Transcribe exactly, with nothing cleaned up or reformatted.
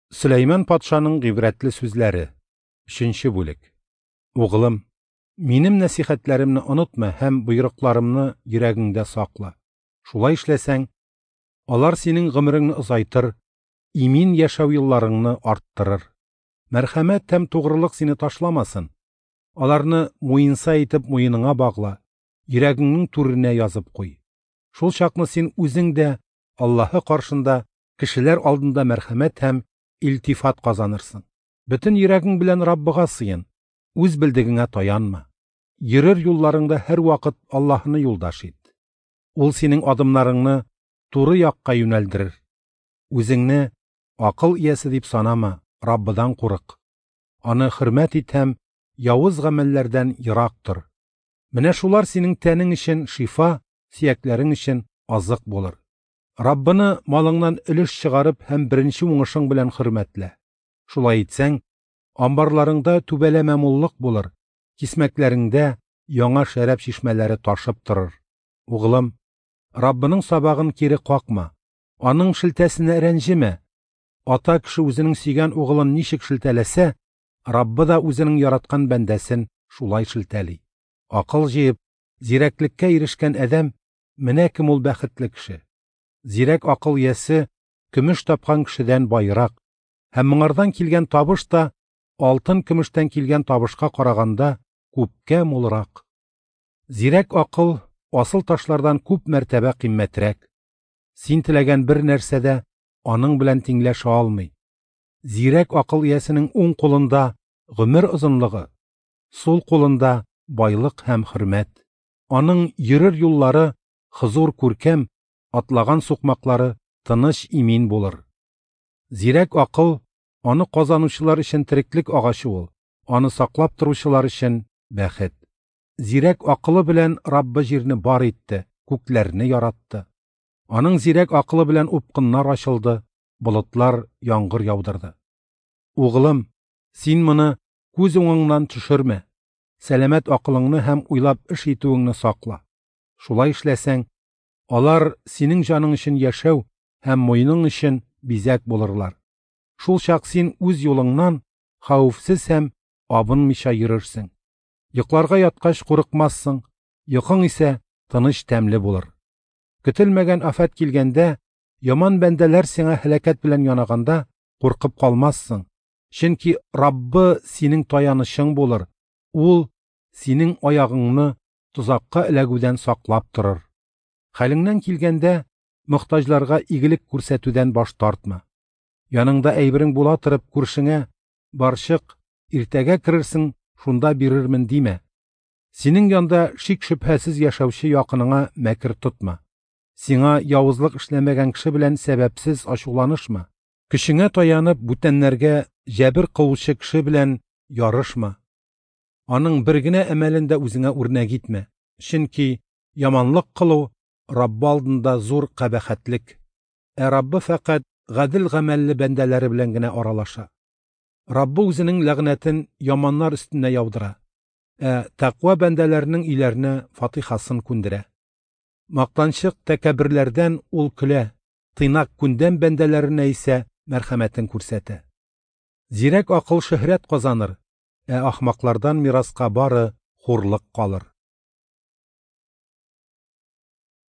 Сөләйман патшаның гыйбрәтле сүзләре. Өченче бүлек. Угылым, минем нәсихәтләремне онытма һәм боерыкларымны йөрәгеңдә сакла. Шулай эшләсәң, алар синең гомереңне озайтыр, имин яшәү елларыңны арттырыр. Мәрхәмәт һәм тугрылык сине ташламасын. Аларны муенса итеп муеныңа багла, йөрәгеңнең түренә язып куй. Шул чакны син үзең дә Аллаһы каршында, кешеләр алдында мәрхәмәт һәм илтифат казанырсың. Бөтен йөрәгең белән Раббыга сыен, үз белдегеңә таянма. Йөрер юлларыңда һәрвакыт Аллаһыны юлдаш ит. Ул синең адымнарыңны туры якка юнәлдерер. Үзеңне акыл иясе дип санама, Раббыдан курык. Аны хөрмәт ит һәм явыз гамәлләрдән ерак тор. Менә шулар синең тәнең өчен шифа, сөякләрең өчен азык булыр. Раббыны малыңнан өлеш чыгарып һәм беренче уңышың белән хөрмәтлә. Шулай итсәң, амбарларыңда түбәләмә муллык булыр, кисмәкләреңдә яңа шәраб чишмәләре ташып торыр. Угылым, Раббының сабагын кире какма, аның шелтәсенә рәнҗемә. Ата кеше үзенең сөйгән угылын ничек шелтәләсә, Раббы да үзенең яраткан бәндәсен шулай шелтәли. Акыл җыеп, зирәклеккә ирешкән адәм менә кем ул бәхетле кеше. Зирәк акыл иясе көмеш тапкан кешедән байрак, һәм моңардан килгән табыш та алтын көмештән килгән табышка караганда күпкә мулрак. Зирәк акыл асыл ташлардан күп мәртәбә кыйммәтрәк. Син теләгән бер нәрсә дә аның белән тиңләшә алмый. Зирәк акыл иясенең уң кулында гомер озынлыгы, сул кулында байлык һәм хөрмәт. Аның йөрер юллары хозур күркәм, атлаган сукмаклары тыныч имин булыр. Зирәк акыл аны казанучылар өчен тереклек агачы ул, аны саклап торучылар өчен бәхет. Зирәк акылы белән Раббы җирне бар итте, күкләрне яратты. Аның зирәк акылы белән упкыннар ачылды, болытлар яңгыр яудырды. Угылым, син моны күз уңыңнан төшермә. Сәламәт акылыңны һәм уйлап эш итүеңне сакла. Шулай эшләсәң, алар синең җаның өчен яшәү һәм муеның өчен бизәк булырлар. Шул чак син үз юлыңнан хәвефсез һәм абынмыйча йөрерсең. Йокларга яткач курыкмассың, йокың исә тыныч тәмле булыр. Көтелмәгән афәт килгәндә, яман бәндәләр сиңа һәлакәт белән янаганда куркып калмассың. Чөнки Раббы синең таянычың булыр. Ул синең аягыңны тозакка эләгүдән саклап торыр. Хәлеңнән килгәндә, мохтаҗларга игелек күрсәтүдән баш тартма. Яныңда әйберең була торып күршеңә барчык, иртәгә керерсең, шунда бирермен димә. Синең янда шик-шөбһәсез яшәүче якыныңа мәкер тотма. Сиңа явызлык эшләмәгән кеше белән сәбәпсез ачуланышма. Көчеңә таянып бүтәннәргә җәбер кылучы кеше белән ярышма. Аның бер генә әмәлен дә үзеңә үрнәк итмә. Чөнки яманлык кылу Раббы алдында зур кабахәтлек. Ә Раббы фәкать гадел гамәлле бәндәләре белән генә аралаша. Раббы үзенең ләгънәтен яманнар өстенә яудыра, ә тәкъва бәндәләренең өйләренә фатихасын күндерә. Мактанчык тәкәбберләрдән ул көлә, тыйнак күндәм бәндәләренә исә мәрхәмәтен күрсәтә. Зирәк акыл шөһрәт казаныр, ә ахмаклардан мираска бары хурлык калыр.